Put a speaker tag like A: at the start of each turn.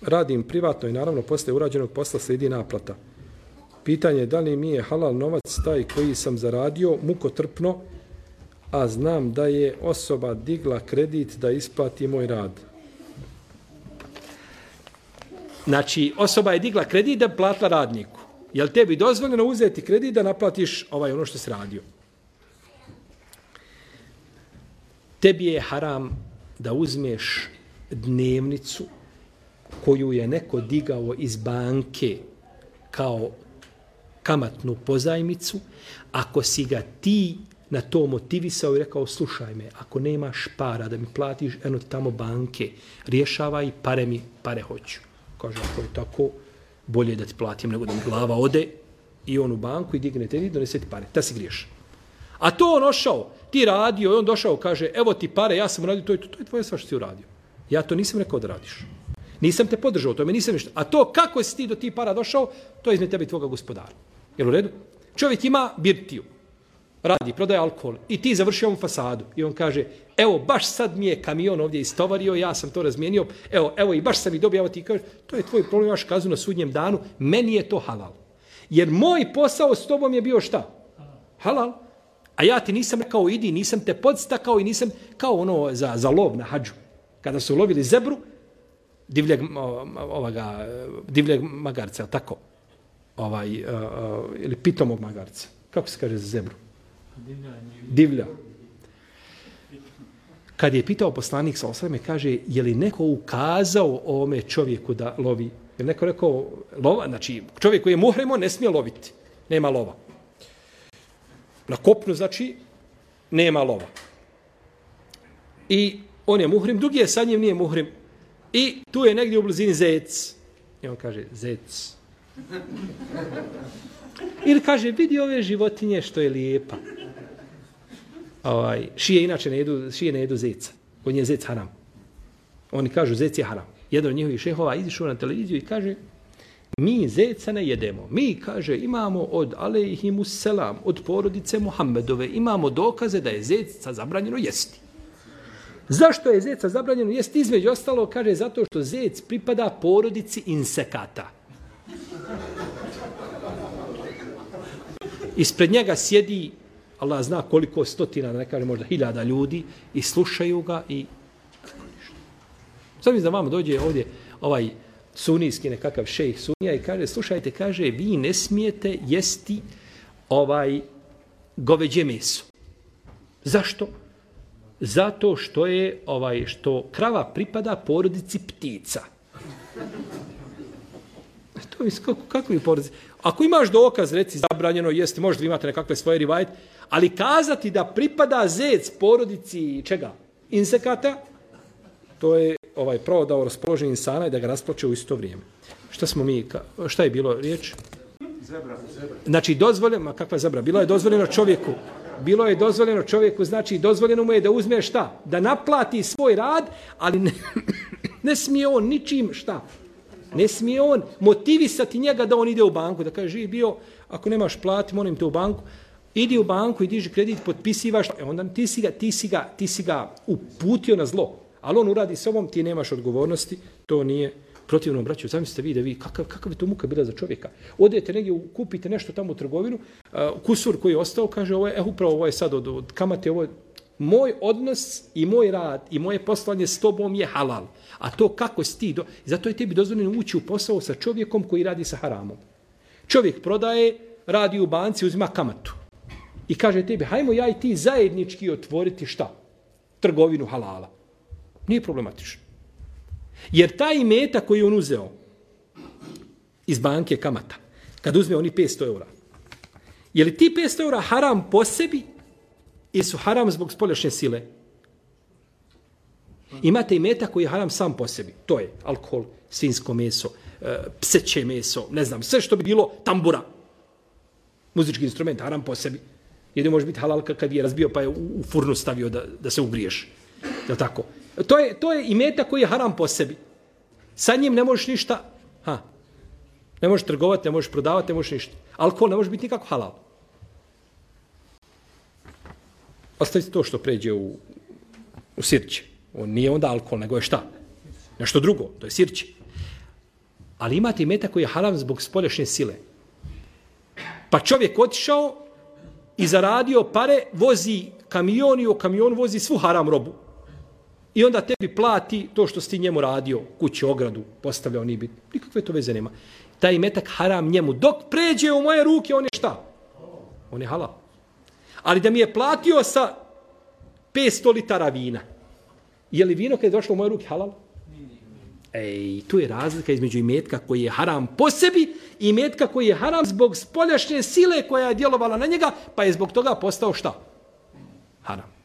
A: radim privatno i naravno posle urađenog posla slijedi naplata. Pitanje je da li mi je halal novac taj koji sam zaradio mukotrpno, a znam da je osoba digla kredit da isplati moj rad. Znači, osoba je digla kredit da platila radniku. Je li tebi dozvoljeno uzeti kredit da naplatiš ono što si radio? Tebi je haram da uzmeš dnevnicu koju je neko digao iz banke kao kamatnu pozajmicu, ako si ga ti na to motivisao i rekao, slušaj me, ako nemaš para da mi platiš eno tamo banke, rješavaj, pare hoću. Kaže, ako je tako, bolje da ti platim nego da mi glava ode i on u banku i digne te i donese ti pare. Ta si griješan. A to on ošao, ti radio i on došao, kaže, evo ti pare, ja sam uradio to je tvoje sva što si uradio. Ja to nisam rekao da radiš. Nisam te podržao, to me nisam ništa. A to kako si ti do ti para došao, to je između tebe i tvoga gospodara. Jel u redu? Čovjek ima birtiju, radi, prodaje alkohol i ti završio ovom fasadu i on kaže, evo, baš sad mi je kamion ovdje istovario, ja sam to razmijenio, evo i baš sam i dobio, evo ti kaže, to je tvoj problem, imaš kaznu na sudnjem danu, meni je to halal. Jer moj posao s tobom je bio šta? Halal. A ja ti nisam rekao, idi, nisam te podstakao i nisam kao ono za lov na hadžu. Kada su lovili zebru, divljeg magarca, tako? Ili pitomog magarca. Kako se kaže za zebru? Divlja. Kad je pitao poslanik sa osvrame, kaže, je li neko ukazao ovome čovjeku da lovi? Je neko rekao, lova, znači čovjek koji je muhrim, on ne smije loviti. Nema lova. Na kopnu, znači, nema lova. I on je muhrim, drugi je sa njim, nije muhrim. I tu je negdje u blizini zec. I on kaže, zec. Ili kaže, vidi ove životinje što je lijepa. Šije inače ne jedu zeca. Kod nje zec haram. Oni kažu, zec je haram. Jedan od njihovih šehova izišao na televiziju i kaže, mi zeca ne jedemo. Mi, kaže, imamo od alejhimus selam, od porodice Muhammedove, imamo dokaze da je zeca zabranjeno jesti. Zašto je zeca zabranjeno jesti? Između ostalo, kaže, zato što zec pripada porodici insekata. Ispred njega sjedi, Allah zna koliko stotina, ne kaže možda 1000 ljudi i slušaju ga i... Sad mi da vama dođe ovdje sunijski nekakav šejh sunija i kaže, slušajte, kaže, vi ne smijete jesti goveđe meso. Zašto? Zato što je što krava pripada porodici ptica. To mi kako je porodici? Ako imaš dokaz, reci, zabranjeno jesti, možda imate nekakve svoje rivajete, ali kazati da pripada zec porodici čega? Insekata, to je prodao raspoloženje insana i da ga rasplače u isto vrijeme. Šta je bilo riječ?
B: Zebra.
A: Znači, dozvoljeno, kakva je zebra? Bilo je dozvoljeno čovjeku, znači, dozvoljeno mu je da uzme šta? Da naplati svoj rad, ali ne smije on ničim šta? Ne smije on motivisati njega da on ide u banku, da kaže, živi bio, ako nemaš plati, molim te u banku, idi u banku i diži kredit, potpisivaš, onda ti si ga uputio na zlo. Ali on uradi s ovom, ti nemaš odgovornosti, to nije protivno, braću. Zamislite vi da vi, kakav je to muka bila za čovjeka. Odete negdje, kupite nešto tamo u trgovinu, kusur koji je ostao, kaže, ovo je sad od kamate, ovo je moj odnos i moj rad i moje poslanje s tobom je halal. A to kako si ti, zato je tebi dozvoljeno ući u posao sa čovjekom koji radi sa haramom. Čovjek prodaje, radi u banci, uzima kamatu. I kaže tebi, hajmo ja i ti zajednički otvoriti šta? Trgovinu halala. Nije problematično. Jer taj imetak koji on uzeo iz banke kamata, kad uzme oni 500 eura, je li ti 500 eura haram po sebi ili su haram zbog spoljašnje sile? Imate imetak koji je haram sam po sebi. To je alkohol, svinjsko meso, pseće meso, ne znam, sve što bi bilo tambura. Muzički instrument, haram po sebi. Jedino može biti halal kad je razbio pa je u furnu stavio da se ugriješ. Je li tako? To je imetak koji je haram po sebi. Sa njim ne možeš ništa, ne možeš trgovati, ne možeš prodavati, ne možeš ništa. Alkohol ne može biti nikako halal. Ostavite to što pređe u sirće. On nije onda alkohol, nego je šta? Nešto drugo, to je sirće. Ali imate imetak koji je haram zbog spoljašnje sile. Pa čovjek otišao i zaradio pare, vozi kamion i u kamionu vozi svu haram robu. I onda tebi plati to što si ti njemu radio, kuću, ogradu, postavljao ni bit. Nikakve to veze nema. Taj imetak haram njemu. Dok pređe u moje ruke, on je šta? On je halal. Ali da mi je platio sa 500 litara vina. Je li vino kad je došlo u moje ruke halal? Ej, tu je razlika između imetka koji je haram po sebi i imetka koji je haram zbog spoljašnje sile koja je djelovala na njega, pa je zbog toga postao šta? Haram.